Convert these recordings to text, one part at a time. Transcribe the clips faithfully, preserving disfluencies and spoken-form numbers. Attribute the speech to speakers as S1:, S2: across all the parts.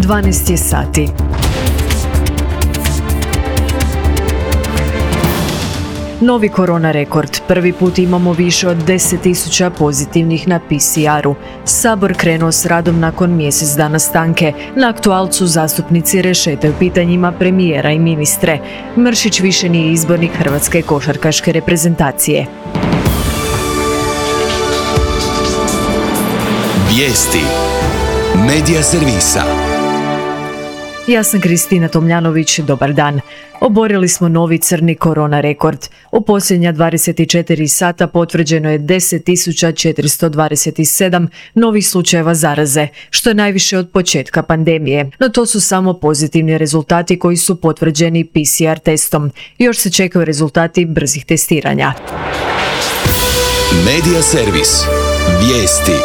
S1: dvanaest je sati. Novi korona rekord. Prvi put imamo više od deset tisuća pozitivnih na P C R-u. Sabor krenuo s radom nakon mjesec dana stanke. Na aktualcu zastupnici rešetaju pitanjima premijera i ministre. Mršić više nije izbornik hrvatske košarkaške reprezentacije.
S2: Vijesti Medija servisa.
S1: Ja sam Kristina Tomljanović, dobar dan. Oborili smo novi crni korona rekord. U posljednja dvadeset četiri sata potvrđeno je deset tisuća četiristo dvadeset sedam novih slučajeva zaraze, što je najviše od početka pandemije. No to su samo pozitivni rezultati koji su potvrđeni P C R testom. Još se čekaju rezultati brzih testiranja.
S2: Medija servis. Vijesti.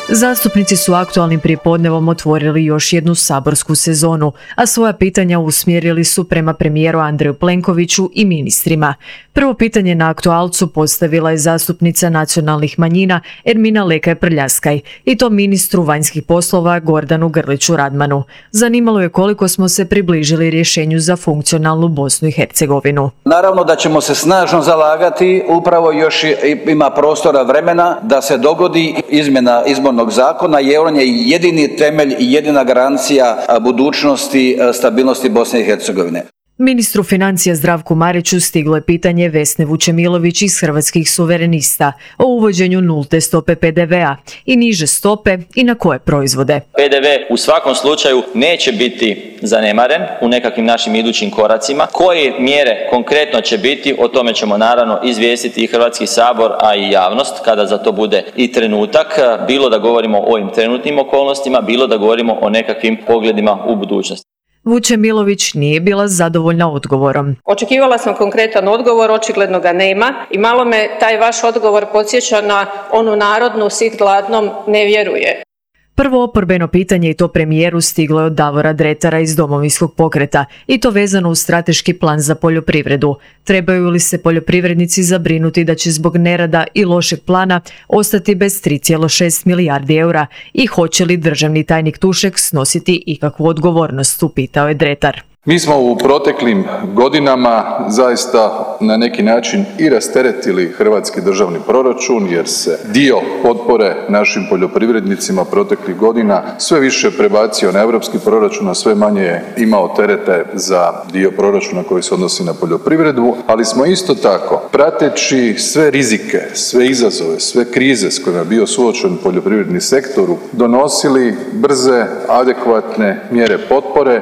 S1: Zastupnici su aktualnim prijepodnevom otvorili još jednu saborsku sezonu, a svoja pitanja usmjerili su prema premijeru Andreju Plenkoviću i ministrima. Prvo pitanje na aktualcu postavila je zastupnica nacionalnih manjina Ermina Lekaj Prljaskaj, i to ministru vanjskih poslova Gordanu Grliću Radmanu. Zanimalo je koliko smo se približili rješenju za funkcionalnu Bosnu i Hercegovinu.
S3: Naravno da ćemo se snažno zalagati, upravo još ima prostora vremena da se dogodi izmjena izbornog zakona, jer on je jedini temelj i jedina garancija budućnosti, stabilnosti Bosne i Hercegovine.
S1: Ministru financija Zdravku Mariću stiglo je pitanje Vesne Vučemilović iz Hrvatskih suverenista o uvođenju nulte stope P D V-a i niže stope i na koje proizvode.
S4: P D V u svakom slučaju neće biti zanemaren u nekakvim našim idućim koracima. Koje mjere konkretno će biti, o tome ćemo naravno izvijestiti i Hrvatski sabor, a i javnost kada za to bude i trenutak, bilo da govorimo o ovim trenutnim okolnostima, bilo da govorimo o nekakvim pogledima u budućnosti.
S1: Vučemilović nije bila zadovoljna odgovorom.
S5: Očekivala sam konkretan odgovor, očigledno ga nema i malo me taj vaš odgovor podsjeća na onu narodnu sit gladnom ne vjeruje.
S1: Prvo oporbeno pitanje, i to premijeru, stiglo je od Davora Dretara iz Domovinskog pokreta, i to vezano uz strateški plan za poljoprivredu. Trebaju li se poljoprivrednici zabrinuti da će zbog nerada i lošeg plana ostati bez tri zarez šest milijardi eura i hoće li državni tajnik Tušek snositi ikakvu odgovornost, upitao je Dretar.
S6: Mi smo u proteklim godinama zaista na neki način i rasteretili hrvatski državni proračun, jer se dio potpore našim poljoprivrednicima proteklih godina sve više prebacio na europski proračun, a sve manje je imao terete za dio proračuna koji se odnosi na poljoprivredu, ali smo isto tako, prateći sve rizike, sve izazove, sve krize s kojima je bio suočen poljoprivredni sektor, donosili brze, adekvatne mjere potpore.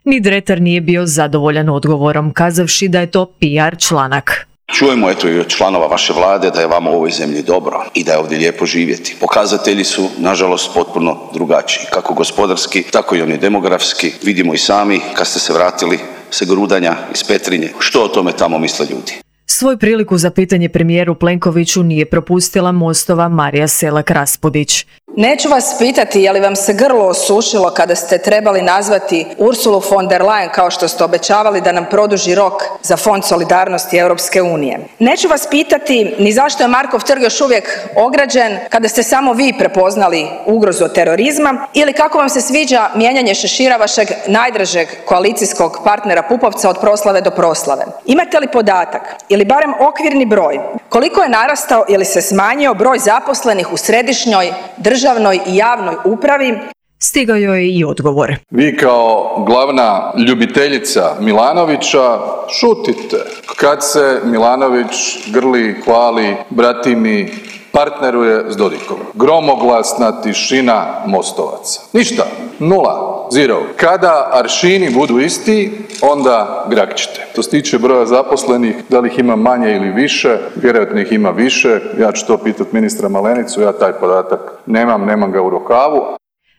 S1: Ni Dretar nije bio zadovoljan odgovorom, kazavši da je to P R članak.
S7: Čujemo eto i od članova vaše vlade da je vama u ovoj zemlji dobro i da je ovdje lijepo živjeti. Pokazatelji su, nažalost, potpuno drugačiji, kako gospodarski, tako i oni demografski. Vidimo i sami, kad ste se vratili sa Grudanja iz Petrinje, što o tome tamo misle ljudi.
S1: Svoj priliku za pitanje premijeru Plenkoviću nije propustila Mostova Marija Selak Raspudić.
S8: Neću vas pitati je li vam se grlo osušilo kada ste trebali nazvati Ursulu von der Leyen kao što ste obećavali da nam produži rok za Fond solidarnosti Europske unije. Neću vas pitati ni zašto je Markov trg još uvijek ograđen kada ste samo vi prepoznali ugrozu od terorizma, ili kako vam se sviđa mijenjanje šešira vašeg najdražeg koalicijskog partnera Pupovca od proslave do proslave. Imate li podatak ili barem okvirni broj koliko je narastao ili se smanjio broj zaposlenih u središnjoj državnoj i javnoj upravi?
S1: Stigao joj je i odgovor.
S6: Vi kao glavna ljubiteljica Milanovića šutite kad se Milanović grli, hvali, bratimi, partneruje s Dodikom. Gromoglasna tišina Mostovaca. Ništa. Nula. Zero. Kada aršini budu isti, onda grakćete. To se tiče broja zaposlenih, da li ih ima manje ili više, vjerojatno ih ima više. Ja ću to pitati ministra Malenicu, ja taj podatak nemam, nemam ga u rukavu.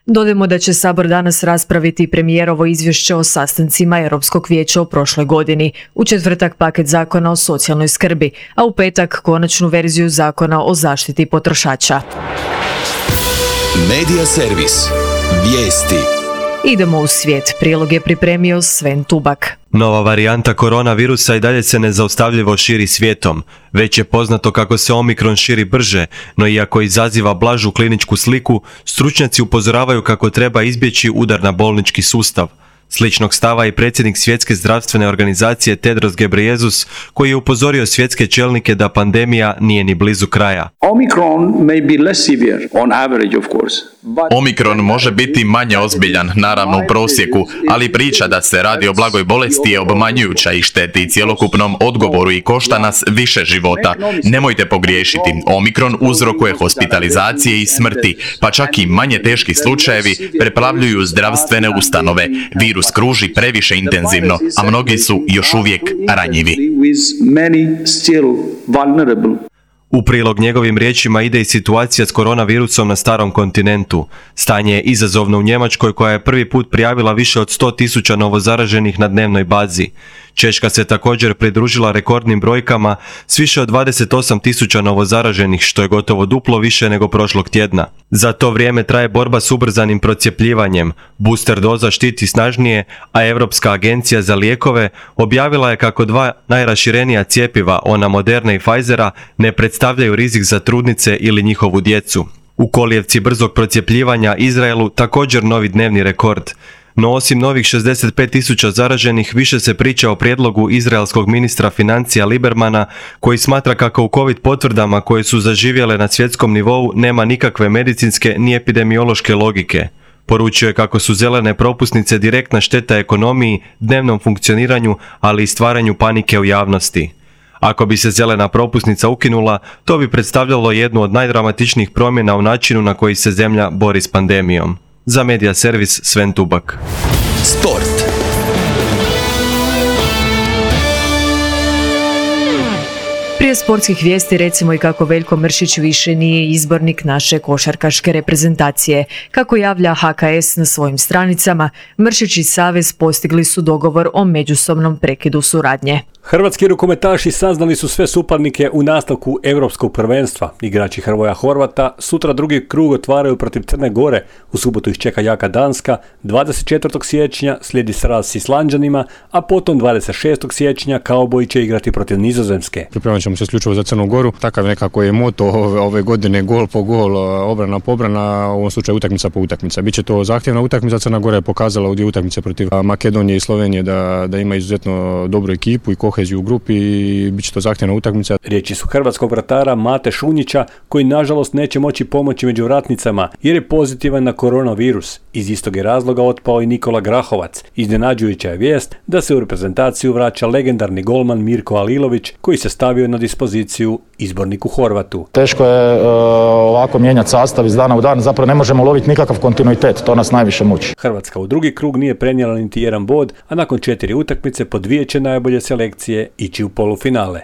S1: Dodajmo da će Sabor danas raspraviti premijerovo izvješće o sastancima Europskog vijeća u prošloj godini, u četvrtak paket zakona o socijalnoj skrbi, a u petak konačnu verziju zakona o zaštiti potrošača.
S2: Medija servis. Vijesti.
S1: Idemo u svijet. Prilog je pripremio Sven Tubak.
S9: Nova varijanta koronavirusa i dalje se nezaustavljivo širi svijetom. Već je poznato kako se Omikron širi brže, no iako izaziva blažu kliničku sliku, stručnjaci upozoravaju kako treba izbjeći udar na bolnički sustav. Sličnog stava i predsjednik Svjetske zdravstvene organizacije Tedros Ghebreyesus, koji je upozorio svjetske čelnike da pandemija nije ni blizu kraja.
S10: Omicron may be less severe on average, of course.
S11: Omikron može biti manje ozbiljan, naravno u prosjeku, ali priča da se radi o blagoj bolesti je obmanjujuća i šteti cjelokupnom odgovoru i košta nas više života. Nemojte pogriješiti, Omikron uzrokuje hospitalizacije i smrti, pa čak i manje teški slučajevi preplavljuju zdravstvene ustanove. Virus kruži previše intenzivno, a mnogi su još uvijek ranjivi.
S9: U prilog njegovim riječima ide i situacija s koronavirusom na starom kontinentu. Stanje je izazovno u Njemačkoj, koja je prvi put prijavila više od sto tisuća novozaraženih na dnevnoj bazi. Češka se također pridružila rekordnim brojkama s više od dvadeset osam tisuća novozaraženih, što je gotovo duplo više nego prošlog tjedna. Za to vrijeme traje borba s ubrzanim procjepljivanjem. Booster doza štiti snažnije, a Europska agencija za lijekove objavila je kako dva najraširenija cjepiva, ona Moderna i Pfizera, ne predstavljaju rizik za trudnice ili njihovu djecu. U kolijevci brzog procjepljivanja Izraelu također novi dnevni rekord. No osim novih šezdeset pet tisuća zaraženih, više se priča o prijedlogu izraelskog ministra financija Libermana, koji smatra kako u COVID potvrdama koje su zaživjele na svjetskom nivou nema nikakve medicinske ni epidemiološke logike. Poručio je kako su zelene propusnice direktna šteta ekonomiji, dnevnom funkcioniranju, ali i stvaranju panike u javnosti. Ako bi se zelena propusnica ukinula, to bi predstavljalo jednu od najdramatičnijih promjena u načinu na koji se zemlja bori s pandemijom. Za Media Servis, Sven Tubak.
S2: Sport.
S1: Prije sportskih vijesti recimo i kako Veljko Mršić više nije izbornik naše košarkaške reprezentacije. Kako javlja H K S na svojim stranicama, Mršić i Savez postigli su dogovor o međusobnom prekidu suradnje.
S12: Hrvatski rukometaši saznali su sve suparnike u nastavku Europskog prvenstva. Igrači Hrvoja Horvata sutra drugi krug otvaraju protiv Crne Gore. U subotu ih čeka jaka Danska. dvadeset četvrtog siječnja slijedi sraz s Islanđanima, a potom dvadeset šestog siječnja Kauboji će igrati protiv Nizozemske.
S13: Pripremit ćemo se isključivo za Crnu Goru. Takav nekako je moto ove, ove godine, gol po gol, obrana po obrana, u ovom slučaju utakmica po utakmica. Biće to zahtjevna utakmica. Crna Gora je pokazala u dvije utakmice protiv Makedonije i Slovenije da, da ima izuzetno dobru ekipu i koheziju u grupi i bit će to zahtjevna utakmica.
S12: Riječi su hrvatskog vratara Mate Šunjića, koji nažalost neće moći pomoći među vratnicama jer je pozitivan na koronavirus. Iz istog je razloga otpao i Nikola Grahovac. Iznenađujuća je vijest da se u reprezentaciju vraća legendarni golman Mirko Alilović, koji se stavio na dispoziciju izborniku Horvatu.
S14: Teško je uh, ovako mijenjati sastav iz dana u dan, zapravo ne možemo loviti nikakav kontinuitet, to nas najviše muči.
S12: Hrvatska u drugi krug nije prenijela niti jedan bod, a nakon četiri utakmice po dvije će najbolje selekcije ići u polufinale.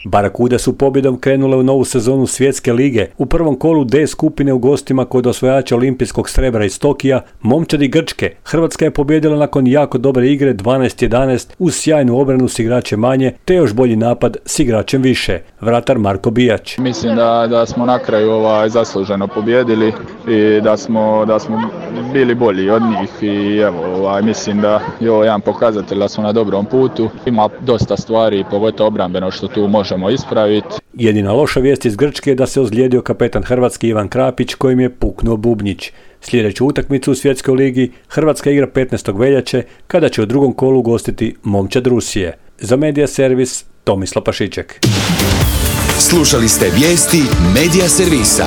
S12: Barakude su pobjedom krenule u novu sezonu Svjetske lige. U prvom kolu D skupine u gostima kod osvajača olimpijskog srebra iz Tokija, momčadi Grčke, Hrvatska je pobijedila nakon jako dobre igre dvanaest jedanaest uz sjajnu obranu s igračem manje, te još bolji napad s igračem više. Vratar Marko Bijać.
S15: Mislim da, da smo na kraju ovaj, zasluženo pobijedili i da smo, da smo bili bolji od njih i evo, ovaj, mislim da je ovo jedan pokazatelj da smo na dobrom putu. Ima dosta stvari, pogotovo obrambeno, što tu možemo ispraviti.
S12: Jedina loša vijest iz Grčke je da se ozlijedio kapetan Hrvatske Ivan Krapić, kojim je puknuo bubnjić. Sljedeću utakmicu u Svjetskoj ligi Hrvatska igra petnaestog veljače, kada će u drugom kolu gostiti momčad Rusije. Za Media Servis, Tomislav Pašiček.
S2: Slušali ste vijesti Media Servisa.